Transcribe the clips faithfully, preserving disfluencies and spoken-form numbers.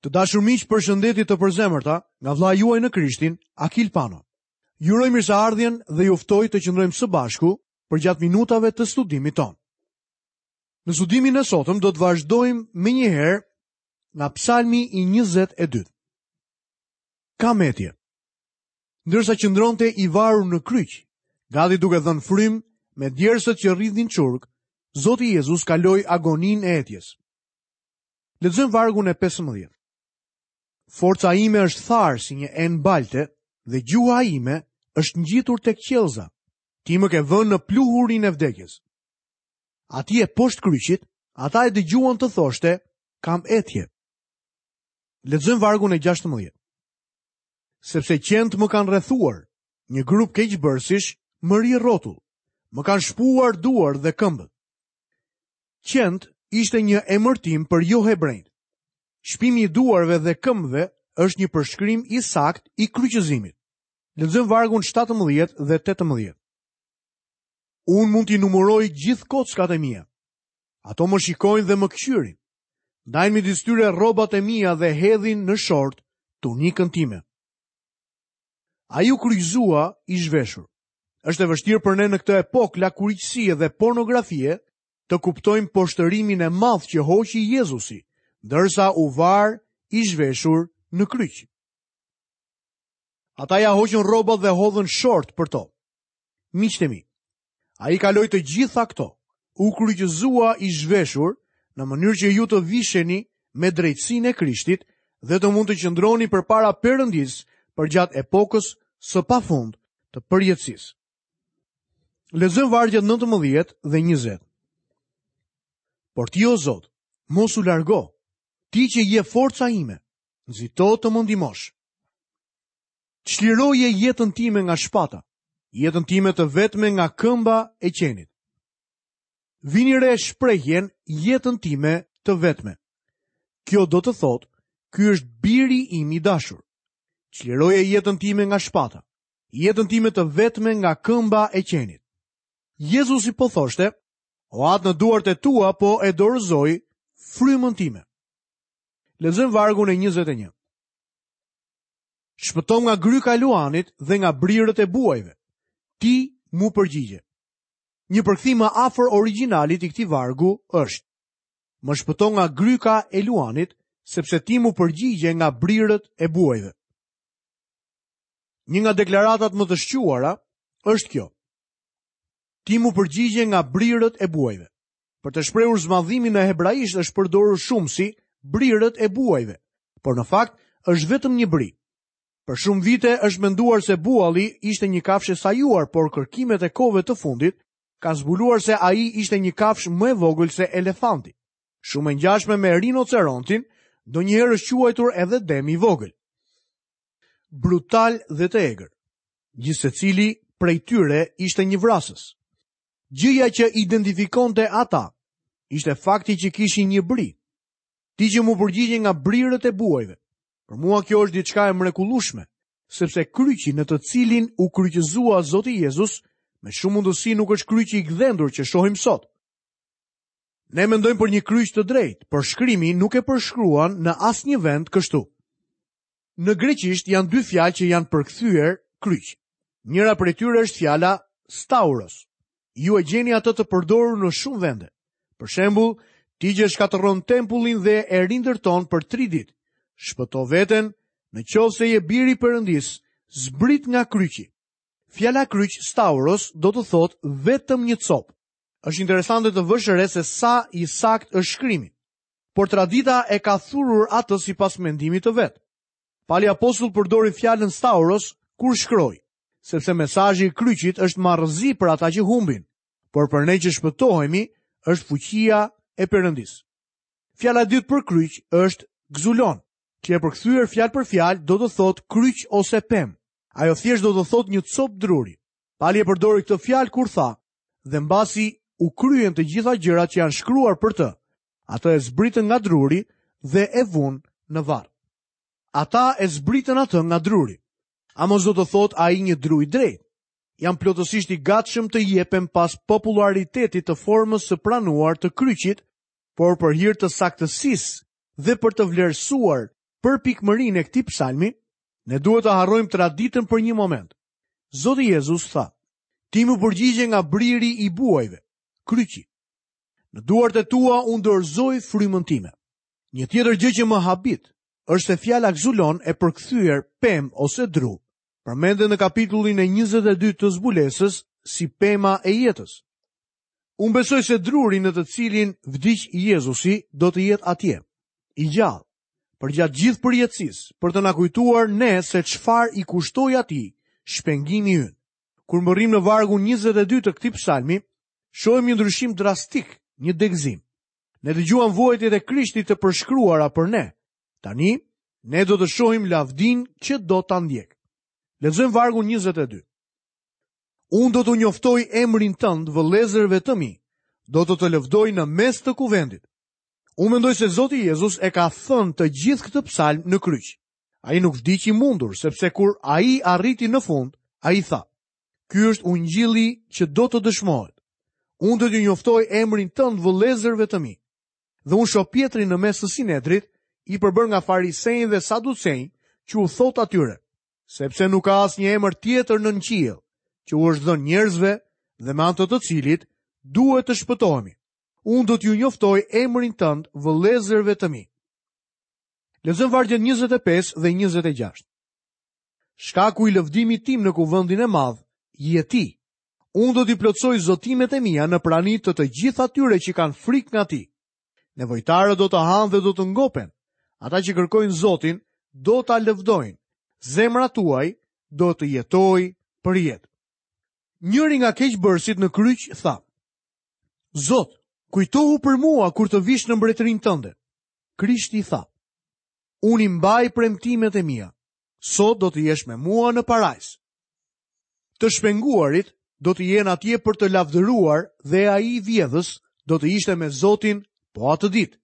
Të dashur miq, përshëndetje të përzemërta nga vëllai juaj në Krishtin, Akil Pano. Ju uroj mirëseardhjen dhe ju ftoj të qëndrojmë së bashku përgjatë minutave të studimit tonë. Në studimin e sotëm do të vazhdojmë menjëherë nga Psalmi i njëzet e dytë. Ka metje. Ndërsa qëndronte i varur në kryq, gati duke dhënë frymë me djersët që rridhnin çurk, Zoti Jezus kaloi agoninë e etjes. Lexojmë vargun e pesëmbëdhjetë. Forca ime është tharë si një enë balte dhe gjuha ime është ngjitur tek qiellza. Ti më ke vënë në pluhurin e vdekjes. Atje poshtë kryqit, ata e dëgjuan të thoshte, kam etje. Lexojmë vargun e gjashtëmbëdhjetë. Sepse qentë më kanë rrethuar, një grup keqbërsish më ri rrotull, më kanë shpuar duar dhe këmbët. Qentë ishte një emërtim për jo hebrejt. Shpimi i duarve dhe këmbëve është një përshkrim i saktë i kryqëzimit. Lexojmë vargun shtatëmbëdhjetë dhe tetëmbëdhjetë. Unë mund t'i numëroj gjithë kockat e mia. Ato më shikojnë dhe më kqyrin. Ndajnë midis tyre rrobat e mia dhe hedhin në short tunikën time. Ai u kryqëzua i zhveshur. Është e vështirë për ne në këtë epokë lakuriqësie dhe pornografie të kuptojmë poshtërimin e madh që hoqi Jezusi, ndërsa u var i zhveshur në kryq. Ata ja hoqën rrobat dhe hodhën short për to. Miqtë e mi, ai kaloi të gjitha këto, u kryqëzua i zhveshur në mënyrë që ju të visheni me drejtësinë e Krishtit dhe të mund të qëndroni përpara Perëndisë përgjatë epokës së pafund të përjetësisë. Lexojmë vargjet nëntëmbëdhjetë dhe njëzet. Por ti, o Zot, mos u largo, ti që je forca ime, nxito të më ndihmosh. Çliroje jetën time nga shpata, jetën time të vetme nga këmba e qenit. Vini re shprehjen jetën time të vetme. Kjo do të thotë, ky është biri im i dashur. Çliroje jetën time nga shpata, jetën time të vetme nga këmba e qenit. Jezusi po thoshte, o atë në duart e tua po e dorëzoj frymën time. Lexojmë vargun e njëzet e një. Shpëtom nga gryka e luanit dhe nga brirët e buajve. Ti mu përgjigje. Një përkthim më afër origjinalit i këtij vargu është: Më shpëton nga gryka e luanit, sepse ti mu përgjigje nga brirët e buajve. Një nga deklaratat më të shquara është kjo: Ti mu përgjigje nga brirët e buajve. Për të shprehur zmadhimin në hebraisht është përdorur shumë si brirët e buajve, por në fakt është vetëm një bri. Për shumë vite është menduar se bualli ishte një kafshë e sajuar, por kërkimet e kohëve të fundit kanë zbuluar se ai ishte një kafshë më e vogël se elefanti. Shumë e ngjashme me rinocerontin, ndonjëherë është quajtur edhe demi i vogël. Brutal dhe të egër. Gjithsecili prej tyre ishte një vrasës. Gjëja që identifikonte ata ishte fakti që kishin një bri. Ti që mu përgjigje nga brirët e buajve. Për mua kjo është diçka e mrekullueshme, sepse kryqi në të cilin u kryqëzua Zoti Jezus, me shumë mundësi nuk është kryqi i gdhendur që shohim sot. Ne mendojmë për një kryq të drejtë, por shkrimi nuk e përshkruan në asnjë vend kështu. Në greqisht janë dy fjalë që janë përkthyer kryq. Njëra prej tyre është fjala stauros. Ju e gjeni atë të përdorur në shumë vende. Për shembull, ti që shkatërron tempullin dhe e rindërton për tri ditë. Shpëto veten, në qoftë se je biri i Perëndis, zbrit nga kryqi. Fjala kryq stauros do të thotë vetëm një copë. Është interesante të vësh re se sa i saktë është shkrimi, por tradita e ka thurur atë sipas mendimit të vet. Pali apostull përdori fjalën stauros kur shkroi, sepse mesazhi i kryqit është marrëzi për ata që humbin, por për ne që shpëtohemi është fuqia e Perëndisë. Fjala e dytë për kryq është gzulon, që e përkthyer fjalë për fjalë do të thotë kryq ose pemë. Ajo thjesht do të thotë një copë druri. Pali e përdori këtë fjalë kur tha, dhe mbasi u kryen të gjitha gjërat që janë shkruar për të, atë e zbritën nga druri dhe e vunë në varr. Ata e zbritën atë nga druri. A mos do të thotë ai një dru i drejtë? Jam plotësisht i gatshëm të jepem pas popularitetit të formës së pranuar të kryqit, por për hir të saktësisë dhe për të vlerësuar përpikmërinë e këtij psalmi, ne duhet të harrojmë traditën për një moment. Zoti Jezus tha: "Ti më përgjigje nga briri i buajve, kryqi. Në duart e tua unë dorëzoj frymën time." Një tjetër gjë që më habit është se fjala xulon e përkthyer pemë ose dru, përmendet në kapitullin e njëzet e dy të zbulesës si pema e jetës. Unë besoj se druri në të cilin vdiq Jezusi do të jetë atje, i gjallë, përgjatë gjithë përjetësisë, për të na kujtuar ne se çfarë i kushtoi atij shpengimi ynë. Kur mbërrim në vargun njëzet e dy të këtij psalmi, shohim një ndryshim drastik, një degëzim. Ne dëgjuam vuajtjet e Krishtit të përshkruara për ne. Tani, ne do të shohim lavdin që do ta ndjek. Lexojmë vargun njëzet e dy. Unë do t'u njoftoj emrin tënd vëllezërve të mi, do të të lëvdoj në mes të kuvendit. Unë mendoj se Zoti Jezus e ka thënë të gjithë këtë psalm në kryq. Ai nuk vdiq i mundur, sepse kur ai arriti në fund, ai tha: "Ky është ungjilli që do të dëshmohet. Unë do t'ju njoftoj emrin tënd vëllezërve të mi." Dhe unë shoh Pietrin në mes të Sinedrit, i përbër nga farisenj dhe saducenj, që u thot atyre: "Sepse nuk ka asnjë emër tjetër nën qiell që u është dhënë njerëzve dhe me anë të të cilit duhet të shpëtohemi. Unë do t'ju njoftoj emrin tënd vëllezërve të mi." Lexojmë vargjet njëzet e pesë dhe njëzet e gjashtë. Shkaku i lëvdimit tim në kuvendin e madh je ti. Unë do t'i plotësoj zotimet e mia në prani të të gjithë atyre që kanë frikë nga ti. Nevojtarët do të hanë dhe do të ngopen. Ata që kërkojnë Zotin do ta lëvdojnë. Zemra tuaj do të jetojë për jetë. Njëri nga keqbërësit në kryq tha: "Zot, kujtohu për mua kur të vish në mbretërinë tënde." Krishti tha: "Unë i mbaj premtimet e mia. Sot do të jesh me mua në parajs." Të shpenguarit do të jenë atje për të lavdëruar dhe ai i vjedhës do të ishte me Zotin po atë ditë.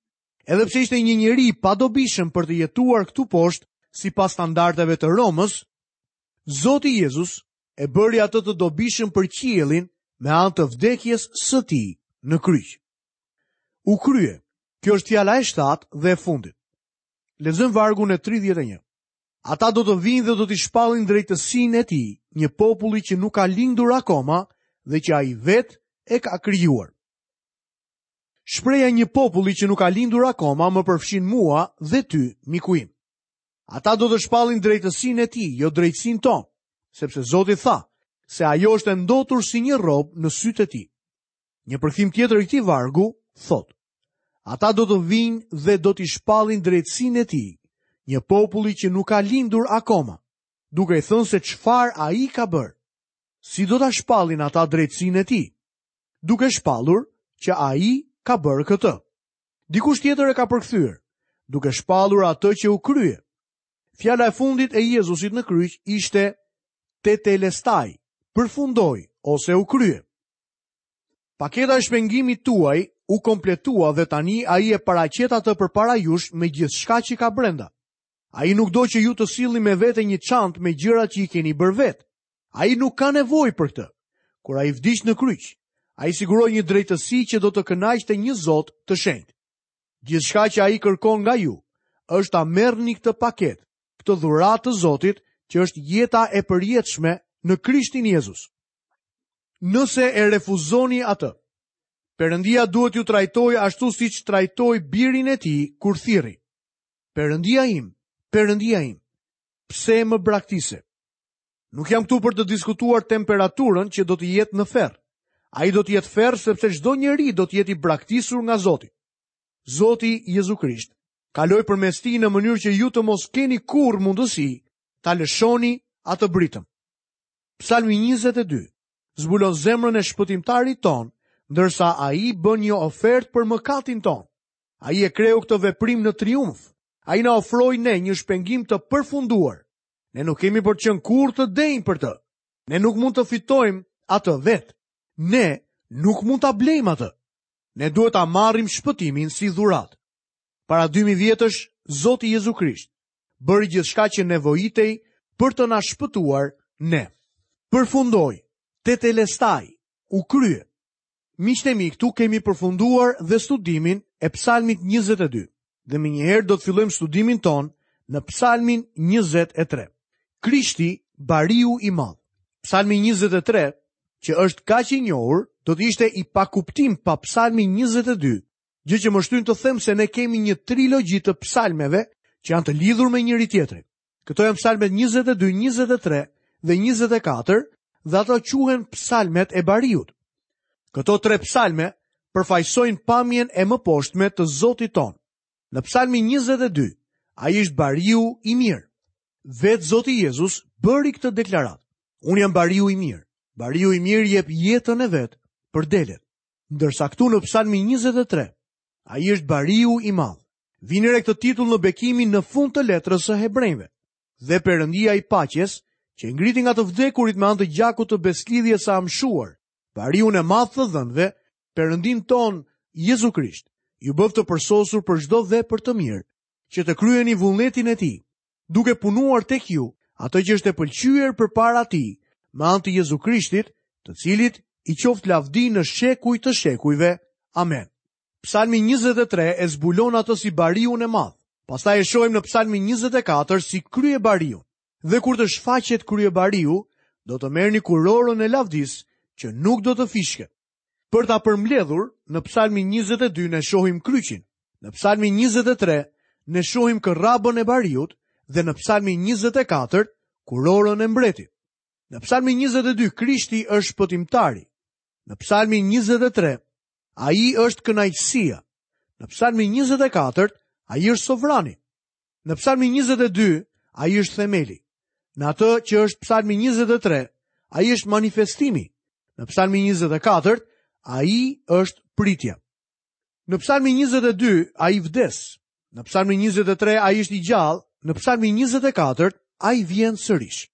Edhe pse ishte një njeri i padobishëm për të jetuar këtu poshtë sipas standardeve të Romës, Zoti Jezus e bëri atë të dobishëm për qiellin me anë të vdekjes së tij në kryq. U krye. Kjo është fjala e shtatë dhe e fundit. Lexojmë vargun e tridhjetë e një. Ata do të vinë dhe do t'i shpallin drejtësinë e tij, një populli që nuk ka lindur akoma dhe që ai vetë e ka krijuar. Shpreha e një populli që nuk ka lindur akoma më përfshin mua dhe ty, miku im. Ata do të shpallin drejtësinë e tij, jo drejtësinë tonë, sepse Zoti tha se ajo është e ndotur si një rob në sytë e tij. Një përkthim tjetër i këtij vargu thotë: Ata do të vinë dhe do t'i shpallin drejtësinë e tij, një populli që nuk ka lindur akoma, duke i thënë se çfarë ai ka bërë. Si do ta shpallin ata drejtësinë e tij? Duke shpallur që ai ka bërë këtë. Dikush tjetër e ka përkthyer, duke shpallur atë që u krye. Fjala e fundit e Jezusit në kryq ishte tetelestai, përfundoi ose u krye. Paketa e shpengimit tuaj u kompletua dhe tani ai e paraqet atë përpara jush me gjithçka që ka brenda. Ai nuk do që ju të sillni me vete një çantë me gjërat që i keni bërë vetë. Ai nuk ka nevojë për këtë. Kur ai vdiq në kryq, ai siguroi një drejtësi që do të kënaqte një Zot të shenjtë. Gjithçka që ai kërkon nga ju është ta merrni këtë paketë, këtë dhuratë të Zotit, që është jeta e përjetshme në Krishtin Jezus. Nëse e refuzoni atë, Perëndia duhet t'ju trajtojë ashtu siç trajtoi birin e tij kur thirri: Perëndia im, Perëndia im, pse më braktise? Nuk jam këtu për të diskutuar temperaturën që do të jetë në ferr. Ai do të jetë ferr sepse çdo njeri do të jetë i braktisur nga Zoti. Zoti Jezu Krisht kaloi përmes tij në mënyrë që ju të mos keni kurrë mundësi ta lëshoni atë britëm. Psalmi njëzet e dy zbulon zemrën e shpëtimtarit ton, ndërsa ai bën një ofertë për mëkatin ton. Ai e kreu këtë veprim në triumf. Ai na ofroi ne një shpengim të përfunduar. Ne nuk kemi për të qenë kurrë të denjë për të. Ne nuk mund të fitojmë atë vetë. Ne nuk mund ta blejmë atë. Ne duhet ta marrim shpëtimin si dhuratë. Para dy mijë vjetësh, Zoti Jezu Krisht bëri gjithçka që nevojitej për të na shpëtuar ne. Përfundoi, tetelestai, u krye. Miqtë e mi, këtu kemi përfunduar dhe studimin e Psalmit njëzet e dy. Dhe menjëherë do të fillojmë studimin ton në Psalmin njëzet e tre. Krishti, bariu i madh. Psalmi njëzet e tre, që është kaq i njohur, do të ishte i pakuptim pa Psalmin njëzet e dy, gjë që më shtyn të them se ne kemi një trilogji të psalmeve që janë të lidhur me njëri tjetrin. Këto janë psalmet njëzet e dy, njëzet e tre dhe njëzet e katër dhe ato quhen psalmet e bariut. Këto tre psalme përfaqësojnë pamjen e mëposhtme të Zotit ton. Në psalmin njëzet e dy, ai është bariu i mirë. Vetë Zoti Jezus bëri këtë deklaratë. Unë jam bariu i mirë. Bariu i mirë jep jetën e vet për delet. Ndërsa këtu në psalmin njëzet e tre, ai është bariu i madh. Vini re këtë titull në bekimin në fund të letrës së Hebrejve. Dhe Perëndia i paqes, që ngriti nga të vdekurit me anë të gjakut të beslidhjes së amshuar, bariun e madh të dhënve, Perëndin ton Jezu Krisht, ju bëft të përsosur për çdo vepër të mirë, që të kryeni vullnetin e tij, duke punuar tek ju atë që është e pëlqyer përpara tij, me anë të Jezu Krishtit, të cilit i qoftë lavdi në shekuj të shekujve. Amen. Psalmi njëzet e tre e zbulon atë si bariun e madh. Pastaj e shohim në Psalmin njëzet e katër si kryebariun. Dhe kur të shfaqet kryebariu, do të merrni kurorën e lavdisë që nuk do të fishket. Për ta përmbledhur, në Psalmin njëzet e dy ne shohim kryqin, në Psalmin njëzet e tre ne shohim kërrabën e bariut dhe në Psalmin njëzet e katër kurorën e mbretit. Në Psalmin njëzet e dy Krishti është shpëtimtari. Në Psalmin njëzet e tre ai është kënaqësia. Në Psalmin njëzet e katër ai është sovrani. Në Psalmin njëzet e dy ai është themeli. Në atë që është Psalmi njëzet e tre, ai është manifestimi. Në Psalmin njëzet e katër, ai është pritja. Në Psalmin njëzet e dy, ai vdes. Në Psalmin njëzet e tre, ai është i gjallë. Në Psalmin njëzet e katër, ai vjen sërish.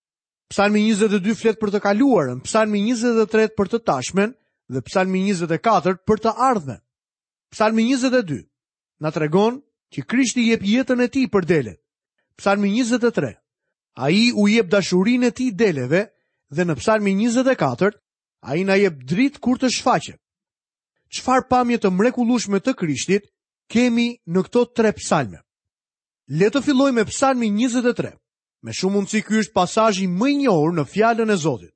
Psalmi njëzet e dy flet për të kaluarën, Psalmi njëzet e tre për të tashmen dhe Psalmi njëzet e katër për të ardhmen. Psalmi njëzet e dy na tregon që Krishti jep jetën e tij për delet. Psalmi njëzet e tre, ai u jep dashurinë e tij deleve dhe në Psalmin njëzet e katër ai na jep dritë kur të shfaqet. Çfarë pamje të mrekullueshme të Krishtit kemi në këto tre psalme? Le të fillojmë me Psalmin njëzet e tre. Me shumë mundësi ky është pasazhi më i njohur në fjalën e Zotit.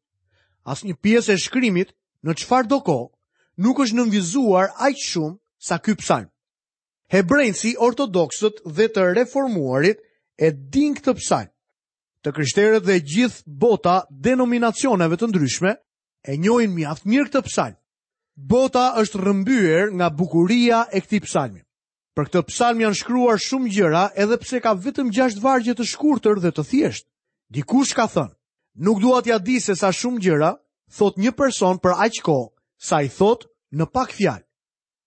Asnjë pjesë e shkrimit në çfarë do kohë nuk është nënvizuar aq shumë sa ky psalm. Hebrejsi, ortodoksët dhe të reformuarit e dinë këtë psalm. Të krishterët dhe gjithë bota denominacioneve të ndryshme e njohin mjaft mirë këtë psalm. Bota është rrëmbyer nga bukuria e këtij psalmi. Për këtë psalm janë shkruar shumë gjëra, edhe pse ka vetëm gjashtë vargje të shkurtër dhe të thjeshtë. Dikush ka thënë, nuk dua t'ja di se sa shumë gjëra thot një person për aq kohë sa i thot në pak fjalë.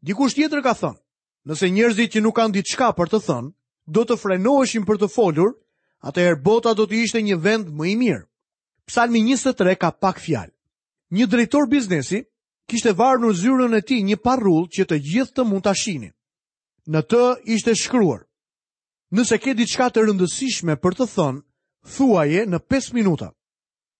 Dikush tjetër ka thënë, nëse njerëzit që nuk kanë diçka për të thënë, do të frenoheshin për të folur, atëherë bota do të ishte një vend më i mirë. Psalmi njëzet e tre ka pak fjalë. Një drejtor biznesi kishte varur në zyrën e tij një parrull që të gjithë të mund ta shihnin. Në të ishte shkruar: Nëse ke diçka të rëndësishme për të thënë, thuaje në pesë minuta.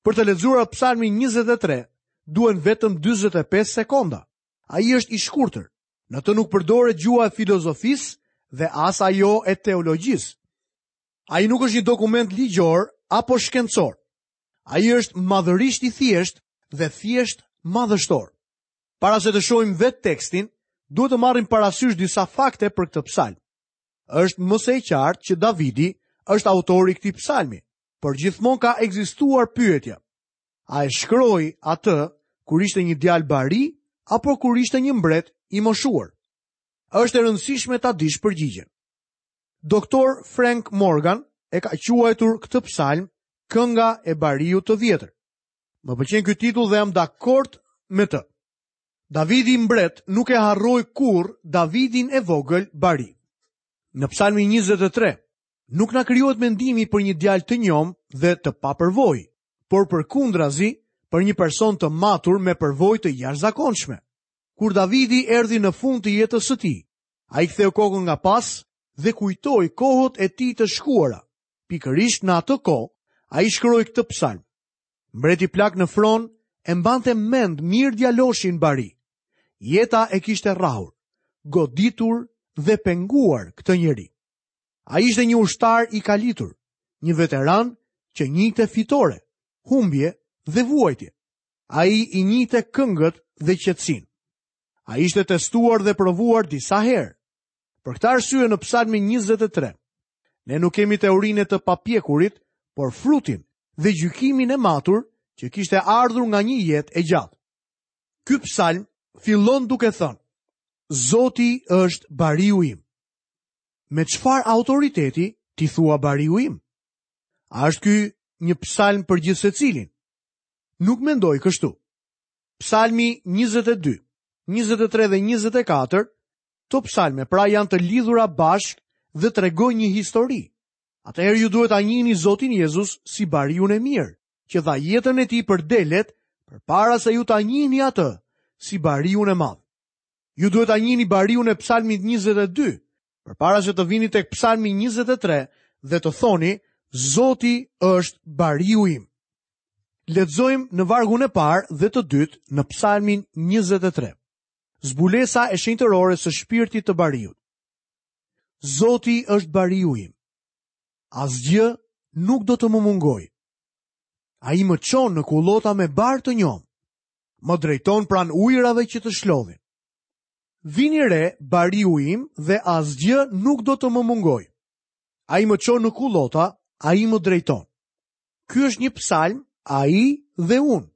Për të lexuar Psalmin njëzet e tre, duhen vetëm dyzet e pesë sekonda. Ai është i shkurtër. Në të nuk përdoret gjuha e filozofisë dhe as ajo e teologjisë. Ai nuk është një dokument ligjor apo shkencor. Ai është madhërisht i thjeshtë dhe thjesht madhështor. Para se të shohim vetë tekstin, duhet të marrim parasysh disa fakte për këtë psalm. Është më se e qartë që Davidi është autori i këtij psalmi, por gjithmonë ka ekzistuar pyetja: a e shkroi atë kur ishte një djalë bari apo kur ishte një mbret i moshuar? Është e rëndësishme ta dish përgjigjen. Doktor Frank Morgan e ka quajtur këtë psalm Kënga e bariut të vjetër. Më pëlqen ky titull dhe jam dakord me të. Davidi mbret nuk e harroi kurrë Davidin e vogël bari. Në Psalmin njëzet e tre nuk na krijohet mendimi për një djalë të njom dhe të papërvojë, por përkundrazi për një person të matur me përvojë të jashtëzakonshme. Kur Davidi erdhi në fund të jetës së tij, ai ktheu kokën nga pas dhe kujtoi kohët e tij të shkuara. Pikërisht në atë kohë, ai shkroi këtë psalm. Mbreti plak në fron e mbante mend mirë djaloshin bari. Jeta e kishte rrahur, goditur dhe penguar këtë njeri. Ai ishte një ushtar i kalitur, një veteran që njihte fitore, humbje dhe vuajtje. Ai i njihte këngët dhe qetësinë. Ai ishte testuar dhe provuar disa herë. Për këtë arsye në Psalmin njëzet e tre, ne nuk kemi teorinë e të papjekurit, por frutin dhe gjykimin e matur që kishte ardhur nga një jetë e gjatë. Ky psalm fillon duke thënë: Zoti është bariu im. Me çfarë autoriteti ti thua bariu im? A është ky një psalm për gjithë secilin? Nuk mendoj kështu. Psalmi njëzet e dy, njëzet e tre dhe njëzet e katër, këto psalme pra janë të lidhura bashkë dhe tregojnë një histori. Atëherë ju duhet ta njihni Zotin Jezus si bariun e mirë, që dha jetën e tij për delet, përpara se ju ta njihni atë si bariun e madh. Ju duhet ta njihni bariun e psalmit njëzet e dy, përpara se të vini tek psalmi njëzet e tre dhe të thoni: Zoti është bariu im. Lexojmë në vargun e parë dhe të dytë në psalmin njëzet e tre. Zbulesa e shenjtërores së shpirtit të bariut. Zoti është bariu im. Asgjë nuk do të më mungojë. Ai më çon në kullota me bar të njomë. Më drejton pranë ujërave që të shlodhin. Vini re, bariu im, dhe asgjë nuk do të më mungojë. Ai më çon në kullota, ai më drejton. Ky është një psalm, ai dhe unë.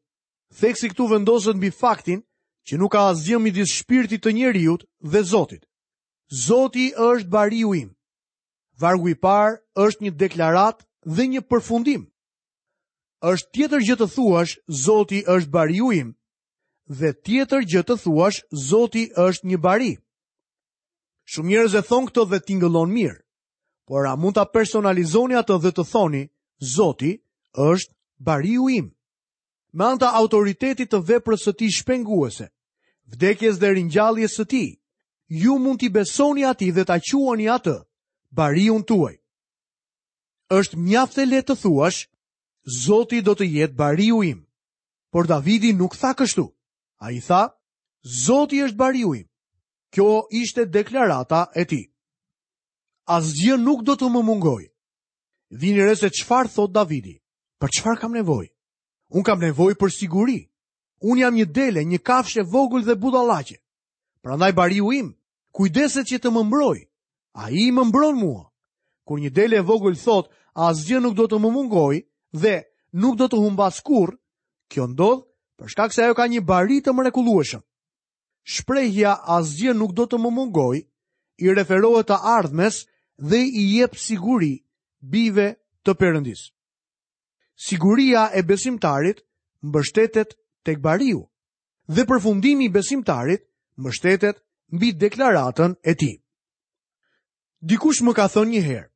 Theksi këtu vendoset mbi faktin që nuk ka asgjë midis shpirtit të njeriut dhe Zotit. Zoti është bariu im. Vargu i parë është një deklaratë dhe një përfundim. Është tjetër gjë të thuash Zoti është bariu im dhe tjetër gjë të thuash Zoti është një bari. Shumë njerëz e thonë këtë dhe tingëllon mirë, por a mund ta personalizoni atë dhe të thoni Zoti është bariu im? Me anë të autoritetit të veprës së tij shpenguese, vdekjes dhe ringjalljes së tij, ju mund t'i besoni atij dhe ta quani atë bariun tuaj. Është mjaft e lehtë të thuash Zoti do të jetë bariu im. Por Davidi nuk tha kështu. Ai tha, Zoti është bariu im. Kjo ishte deklarata e tij. Asgjë nuk do të më mungojë. Vini re se çfarë thot Davidi. Për çfarë kam nevojë? Unë kam nevojë për siguri. Unë jam një dele, një kafshë e vogël dhe budallaqe. Prandaj bariu im kujdeset që të më mbrojë. Ai më mbron mua. Kur një dele e vogël thot, asgjë nuk do të më mungojë dhe nuk do të humbas kurrë, kjo ndodh për shkak se ajo ka një bari të mrekullueshëm. Shprehja asgjë nuk do të më mungojë i referohet të ardhmes dhe i jep siguri bijve të Perëndis. Siguria e besimtarit mbështetet tek bariu dhe përfundimi i besimtarit mbështetet mbi deklaratën e tij. Dikush më ka thënë një herë: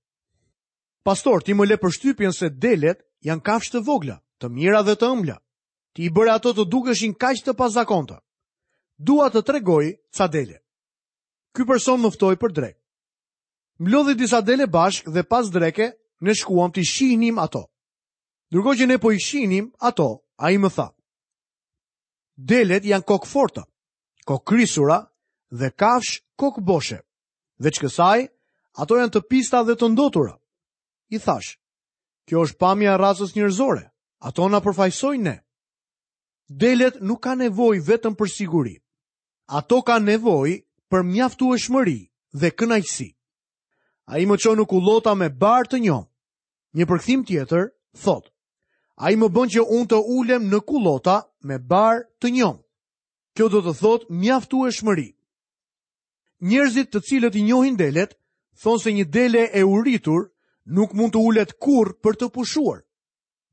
Pastor, ti më le përshtypjen se delet janë kafshë të vogla, të mira dhe të ëmbla. Ti i bëre ato të dukeshin kaq të pazakonta. Dua të tregoj ca dele. Ky person më ftoi për drekë. Mblodhi disa dele bashkë dhe pas dreke ne shkuam t'i shihnim ato. Ndërkohë që ne po i shihnim ato, ai më tha: Delet janë kokforta, kokrisura dhe kafsh kokboshe. Veç kësaj, ato janë të pista dhe të ndotura. I thash: Kjo është pamja e racës njerëzore, ato na përfaqësojnë ne. Delet nuk kanë nevojë vetëm për siguri. Ato kanë nevojë për mjaftueshmëri dhe kënaqësi. Ai më çon në kullota me bar të njomë. Një përkthim tjetër thotë: Ai më bën që unë të ulem në kullota me bar të njomë. Kjo do të thotë mjaftueshmëri. Njerëzit të cilët i njohin delet, thonë se një dele e uritur nuk mund të ulet kurrë për të pushuar.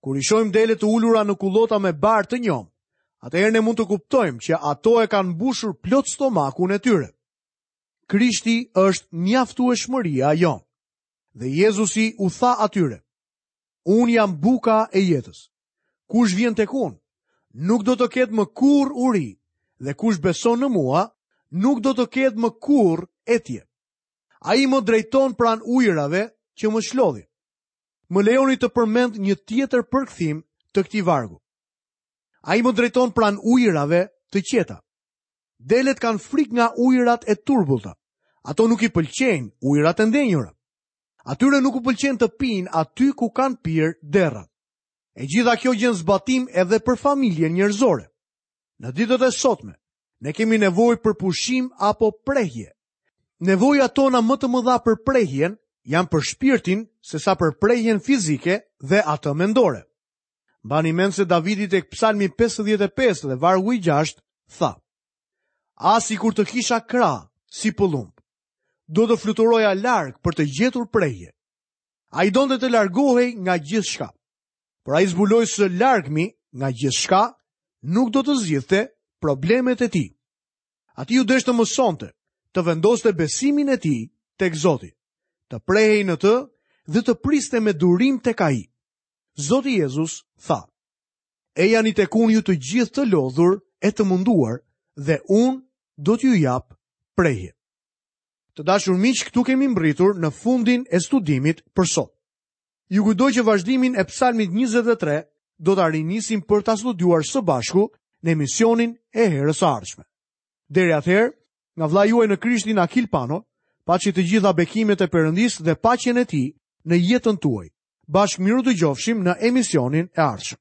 Kur i shohim dele të ulura në kullota me bar të njomë, atëherë ne mund të kuptojmë që ato e kanë mbushur plot stomakun e tyre. Krishti është mjaftueshmëria jonë. Dhe Jezusi u tha atyre: Unë jam buka e jetës. Kush vjen tek unë, nuk do të ketë më kurrë uri, dhe kush beson në mua, nuk do të ketë më kurrë etje. Ai më drejton pranë ujërave që më shlodhin. Më lejoni të përmend një tjetër përkthim të këtij vargu. Ai më drejton pranë ujërave të qeta. Delet kanë frikë nga ujërat e turbullta. Ato nuk i pëlqejnë ujërat e ndenjura. Atyre nuk u pëlqen të pinë aty ku kanë pirë derrat. E gjitha kjo gjen zbatim edhe për familjen njerëzore. Në ditët e sotme, ne kemi nevojë për pushim apo prehje. Nevojat tona më të mëdha për prehjen janë për shpirtin sesa për prehjen fizike dhe atë mendore. Mbani mend se Davidi tek Psalmi pesëdhjetë e pesë dhe vargu i gjashtë tha: A sikur të kisha krah si pëllumb, do të fluturoja larg për të gjetur prehje. Ai donte të largohej nga gjithçka, por ai zbuloi se largimi nga gjithçka nuk do të zgjidhte problemet e tij. Atij u desh të mësonte, të vendoste besimin e tij tek Zoti, të prehej në të dhe të priste me durim tek ai. Zoti Jezus tha: Ejani tek unë ju të gjithë të lodhur e të munduar, dhe unë do t'ju jap prehje. Të dashur miq, këtu kemi mbërritur në fundin e studimit për sot. Ju kujtoj që vazhdimin e Psalmit njëzet e tre do ta rinisim për ta studiuar së bashku në emisionin e herës së ardhshme. Deri atëherë, nga vëllai juaj në Krishtin Akil Pano, paçi të gjitha bekimet e Perëndisë dhe paqen e tij në jetën tuaj. Bashkë miru dëgjofshim në emisionin e ardhshëm.